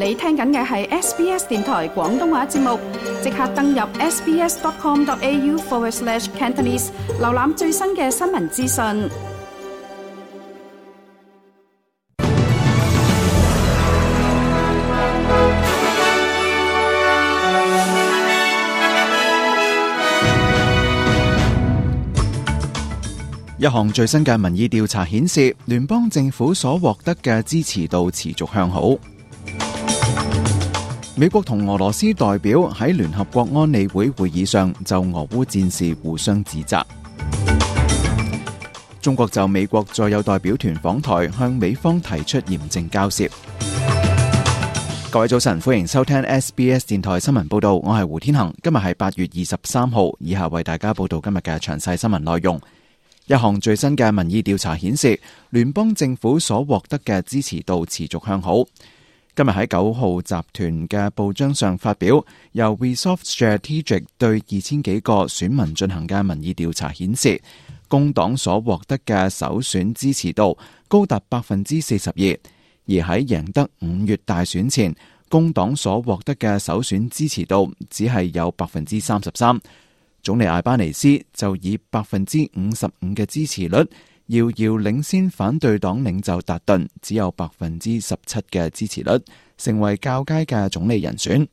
你聽緊嘅係 SBS 電台廣東話節目，即刻登入 sbs.com.au/Cantonese 瀏覽最新嘅新聞資訊。一項最新嘅民意調查顯示，聯邦政府所獲得嘅支持度持續向好。美國同俄羅斯代表喺聯合國安理會會議上就俄烏戰事互相指責。中國就美國再有代表團訪台，向美方提出嚴正交涉。各位早晨，歡迎收聽 SBS 電台新聞報道，我係胡天恒。今日係8月23號，以下為大家報道今日嘅詳細新聞內容。一項最新嘅民意調查顯示，聯邦政府所獲得嘅支持度持續向好。今日喺9號集團嘅報章上發表，由 Resolve Strategic 對2000幾個選民進行嘅民意調查顯示，工黨所獲得嘅首選支持度高達 42%， 而喺贏得5月大選前，工黨所獲得嘅首選支持度只係有 33%。總理艾巴尼斯就以 55% 嘅支持率遙遙領先反對黨領袖達頓，只有 17% 嘅支持率，成為較佳嘅總理人選。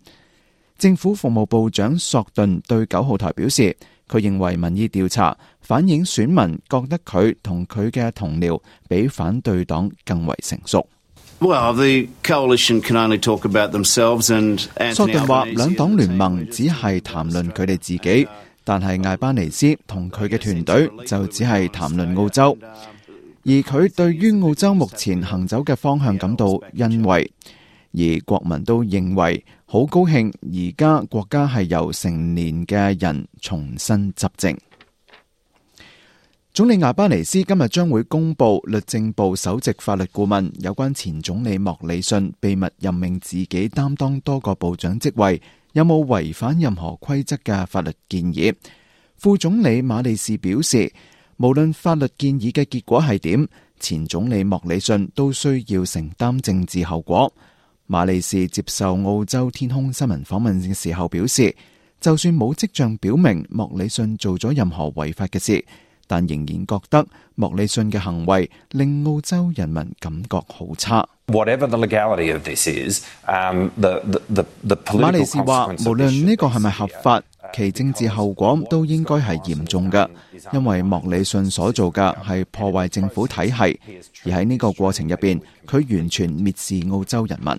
政府服務部長索頓對9號台表示，佢認為民意調查反映選民覺得佢同佢嘅同僚比反對黨更為成熟。Well, the coalition can only talk about themselves and Anthony Albanese. 索頓話，兩黨聯盟只係談論佢哋自己。但係艾巴尼斯同佢嘅團隊就只係談論澳洲，而佢對於澳洲目前行走嘅方向感到欣慰，而國民都認為好高興，而家國家係由成年嘅人重新執政。總理艾巴尼斯今日將會公布律政部首席法律顧問有關前總理莫里遜秘密任命自己擔當多個部長職位有冇違反任何規則嘅法律建議。副總理馬利士表示，無論法律建議嘅結果係點，前總理莫里遜都需要承擔政治後果。馬利士接受澳洲天空新聞訪問嘅時候表示，就算冇跡象表明莫里遜做咗任何違法嘅事，但仍然覺得莫里遜嘅行為令澳洲人民感覺好差。Whatever the legality of this is, the political 馬利士話，無論呢個係咪合法，其政治後果都應該係嚴重嘅，因為莫里遜所做嘅係破壞政府體系，而喺呢個過程入邊，佢完全蔑視澳洲人民。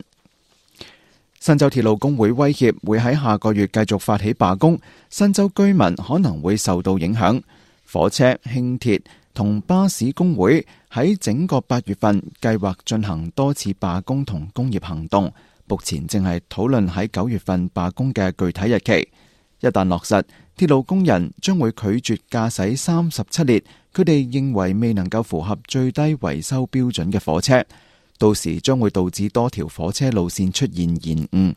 新州鐵路工會威脅會喺下個月繼續發起罷工，新州居民可能會受到影響。火車、輕鐵同巴士工會喺整個8月份計劃進行多次罷工同工業行動，目前正係討論喺9月份罷工嘅具體日期。一旦落實，鐵路工人將會拒絕駕駛37列佢哋認為未能夠符合最低維修標準嘅火車，到時將會導致多條火車路線出現延誤。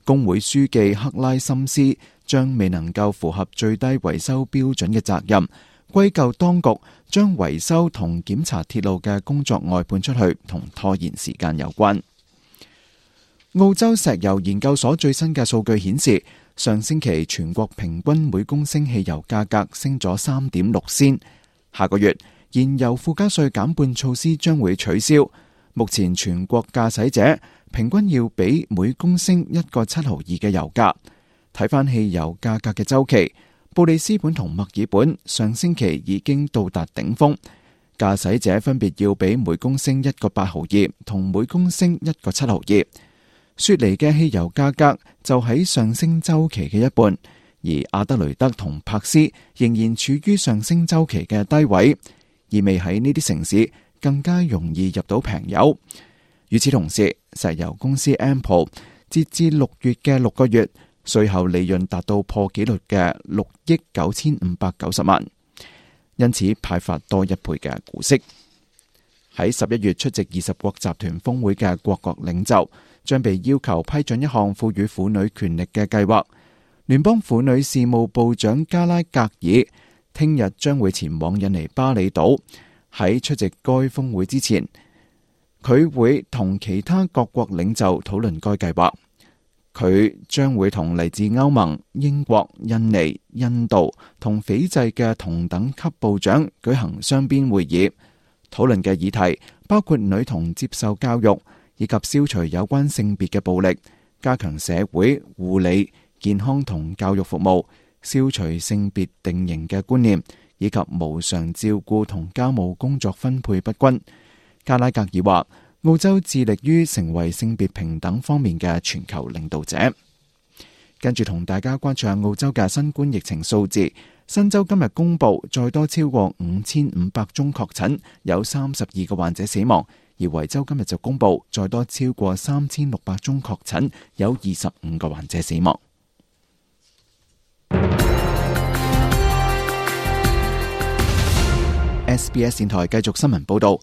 工會書記克拉森斯將未能夠符合最低維修標準嘅責任歸咎當局將維修同檢查鐵路嘅工作外判出去，同拖延時間有關。澳洲石油研究所最新嘅數據顯示，上星期全國平均每公升汽油價格升咗 3.6 仙。下個月燃油附加稅減半措施將會取消，目前全國駕駛者平均要俾每公升1個7毫2嘅油價。睇返汽油價格嘅周期，布里斯本同墨爾本上星期已經到達頂峰，駕駛者分別要俾每公升1個8毫2同每公升1個7毫2。雪梨嘅汽油價格就喺上升周期嘅一半，而阿德雷德同柏斯仍然處於上升周期嘅低位，意味喺呢啲城市更加容易入到平油。與此同時，石油公司 Ampol 截至6月嘅6個月稅後利潤達到破紀錄嘅6億9590萬，因此派發多1倍嘅股息。喺11月出席20國集團峰會嘅各國領袖將被要求批准一項賦予婦女權力嘅計劃。聯邦婦女事務部長加拉格爾聽日將會前往印尼巴厘島。喺出席該峰會之前，佢會同其他各國領袖討論該計劃。佢將會同嚟自歐盟、英國、印尼、印度同斐濟嘅同等級部長舉行雙邊會議，討論嘅議題包括女童接受教育，以及消除有關性別嘅暴力，加強社會護理、健康同教育服務，消除性別定型嘅觀念，以及無償照顧同家務工作分配不均。加拉格爾話，澳洲致力於成為性別平等方面嘅全球領導者。跟住同大家關注下澳洲嘅新冠疫情數字。新州今日公布再多超過5500宗確診，有32個患者死亡。而維州今日就公布再多超過3600宗確診，有25個患者死亡。SBS 電台繼續新聞報道。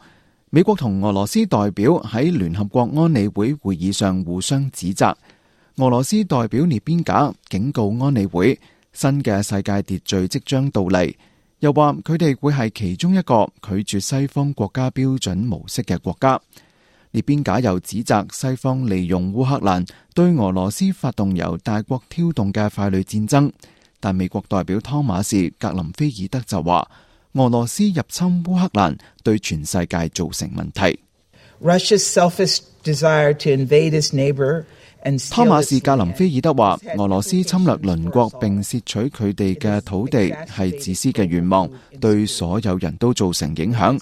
美國同俄羅斯代表喺聯合國安理會會議上互相指責。俄羅斯代表列邊賈警告安理會，新嘅世界秩序即將到嚟，又話佢哋會係其中一個拒絕西方國家標準模式嘅國家。列邊賈又指責西方利用烏克蘭對俄羅斯發動由大國挑動嘅傀儡戰爭，但美國代表湯馬士格林菲爾德就話，俄羅斯入侵烏克蘭對全世界造成問題。湯馬士格林菲爾德話，俄羅斯侵略鄰國並竊取佢哋嘅土地係自私嘅願望，對所有人都造成影響，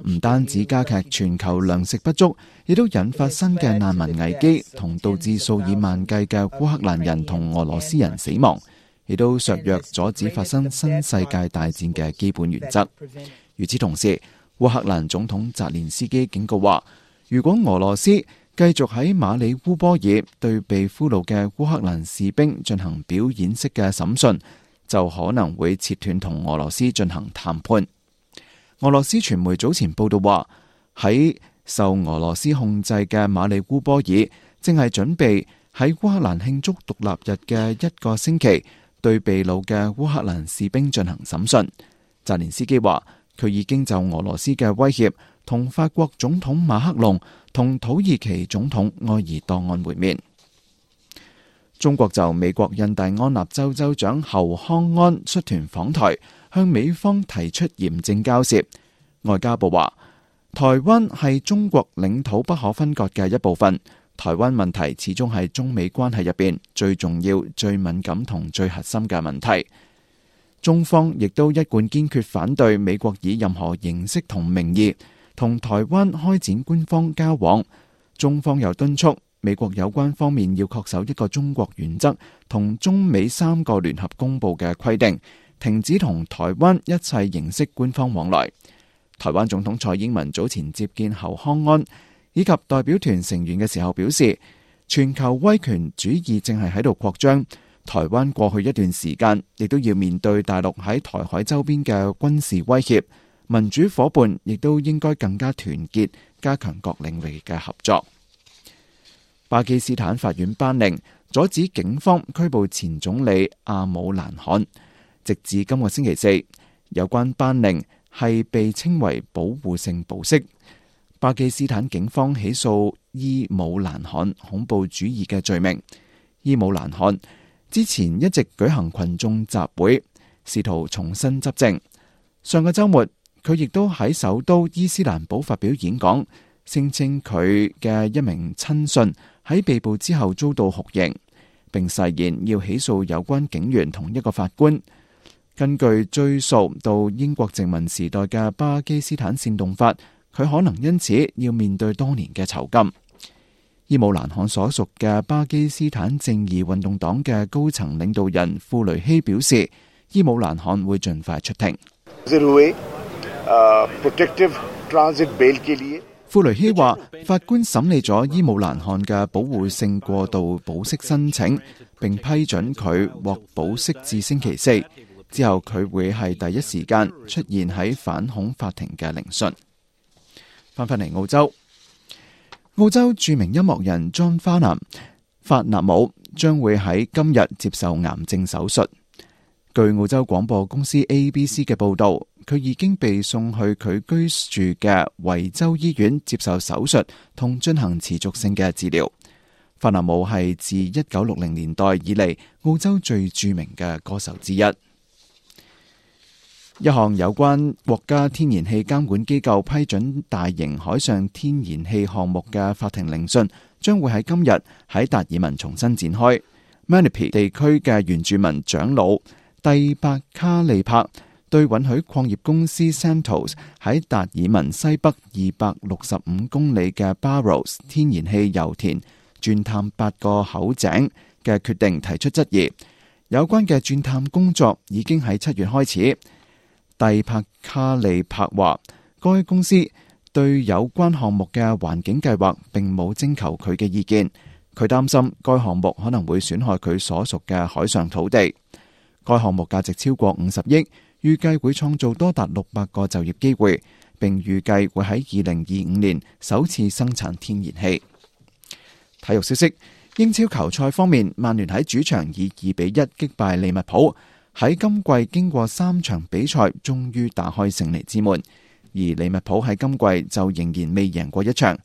唔單止加劇全球糧食不足，亦都引發新嘅難民危機，同導致數以萬計嘅烏克蘭人同俄羅斯人死亡，亦都削弱阻止發生新世界大戰嘅基本原則。與此同時，烏克蘭總統澤連斯基警告話，如果俄羅斯繼續喺馬里烏波爾對被俘虜嘅烏克蘭士兵進行表演式嘅審訊，就可能會切斷同俄羅斯進行談判。俄羅斯傳媒早前報道話，喺受俄羅斯控制嘅馬里烏波爾正係準備喺烏克蘭慶祝獨立日嘅一個星期對被捕嘅烏克蘭士兵進行審訊。澤連斯基話，佢已經就俄羅斯嘅威脅同法國總統馬克龍同土耳其總統埃爾多安會面。中國就美國印第安納州州長侯康安率團訪台，向美方提出嚴正交涉。外交部話，台灣係中國領土不可分割嘅一部分，台灣問題始終係中美關係入邊最重要、最敏感同最核心嘅問題。中方亦都一貫堅決反對美國以任何形式同名義同台灣開展官方交往。中方又敦促美國有關方面要恪守一個中國原則同中美3個聯合公報嘅規定，停止同台灣一切形式官方往來。台灣總統蔡英文早前接見侯康安以及代表團成員嘅時候表示，全球威權主義正係喺度擴張，台灣過去一段時間亦都要面對大陸喺台海周邊嘅軍事威脅，民主夥伴亦都應該更加團結，加強各領域嘅合作。巴基斯坦法院頒令阻止警方拘捕前總理阿姆蘭汗，直至今個星期四。有關頒令係被稱為保護性保釋。巴基斯坦警方起訴伊姆蘭汗恐怖主義嘅罪名。伊姆蘭汗之前一直舉行群眾集會，試圖重新執政。上個週末，佢亦都喺首都伊斯蘭堡發表演講，聲稱佢嘅一名親信喺被捕之後遭到酷刑，並誓言要起訴有關警員同一個法官。根據追溯到英國殖民時代嘅巴基斯坦煽動法，佢可能因此要面對多年嘅囚禁。伊姆蘭汗所屬嘅巴基斯坦正義運動黨嘅高層領導人庫雷希表示，伊姆蘭汗會盡快出庭。庫雷希話，法官審理咗伊姆蘭汗嘅保護性過渡保釋申請，並批准佢獲保釋至星期四。之後佢會係第一時間出現喺反恐法庭嘅聆訊。翻返嚟澳洲，澳洲著名音樂人 John Farnham 法納姆將會喺今日接受癌症手術。據澳洲廣播公司 ABC 嘅報導，佢已經被送去佢居住嘅維州醫院接受手術同進行持續性嘅治療。法納姆係自1960年代以嚟澳洲最著名嘅歌手之一。一項有關國家天然氣監管機構批准大型海上天然氣項目嘅法庭聆訊將會喺今日喺達爾文重新展開。Manipi 地區嘅原住民長老蒂伯卡利柏對允許礦業公司 Santos 喺達爾文西北265公里嘅 Barrows 天然氣油田鑽探8個口井嘅決定提出質疑。有關嘅鑽探工作已經喺7月開始。蒂伯卡利柏話，該公司對有關項目嘅環境計劃並冇徵求佢嘅意見。佢擔心該項目可能會損害佢所屬嘅海上土地。該項目價值超過50億，預計會創造多達600個就業機會，並預計會喺2025年首次生產天然氣。體育消息：英超球賽方面，曼聯喺主場以2-1擊敗利物浦，喺今季經過3場比賽，終於打開勝利之門。而利物浦喺今季就仍然未贏過一場。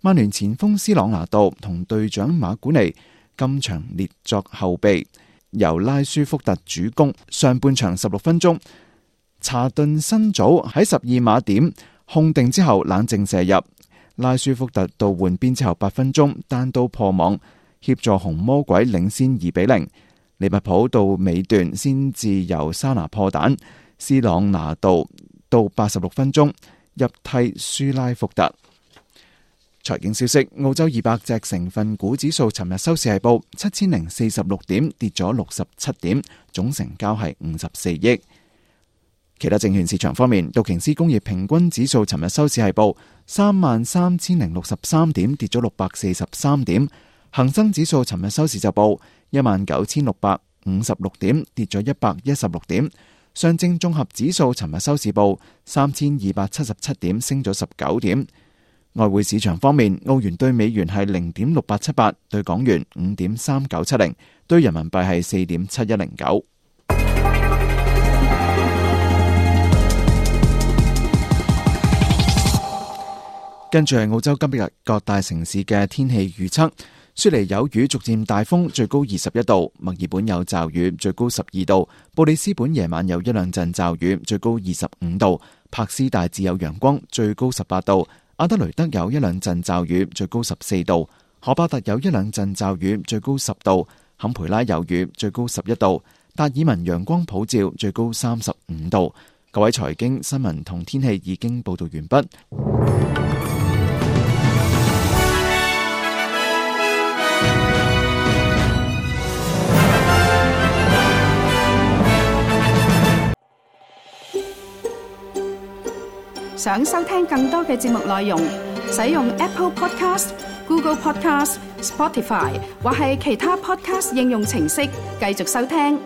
曼聯前鋒斯朗拿度同隊長馬古尼今場列作後備，由拉舒福特主攻。上半場16分鐘，查頓新組喺12碼點控定之後冷靜射入。拉舒福特到換邊之後8分鐘單刀破網，協助紅魔鬼領先2-0。利物浦到尾段先至由沙拿破蛋，斯朗拿度到86分鐘入替舒拉福特。財經消息：澳洲200隻成分股指數尋日收市係報7046點，跌咗67點，總成交係54億。其他證券市場方面，道瓊斯工業平均指數尋日收市係報33063點，跌咗643點。恒生指數尋日收市就報19656點，跌咗116點。上證綜合指數尋日收市報3277點，升咗19點。外匯市場方面，澳元對美元係0.6878，對港元5.3970，對人民幣係4.7109。跟住係澳洲今日各大城市嘅天氣預測。雪梨有雨，逐漸大風，最高21度；墨爾本有驟雨，最高12度；布里斯本夜晚有1-2陣驟雨，最高25度；柏斯大致有陽光，最高18度；阿德雷德有1-2陣驟雨，最高14度；荷巴特有1-2陣驟雨，最高10度；坎培拉有雨，最高11度；達爾文陽光普照，最高35度。各位財經新聞同天氣已經報道完畢。想收聽更多嘅節目內容，使用 Apple Podcast、Google Podcast、Spotify 或係其他 Podcast 應用程式繼續收聽。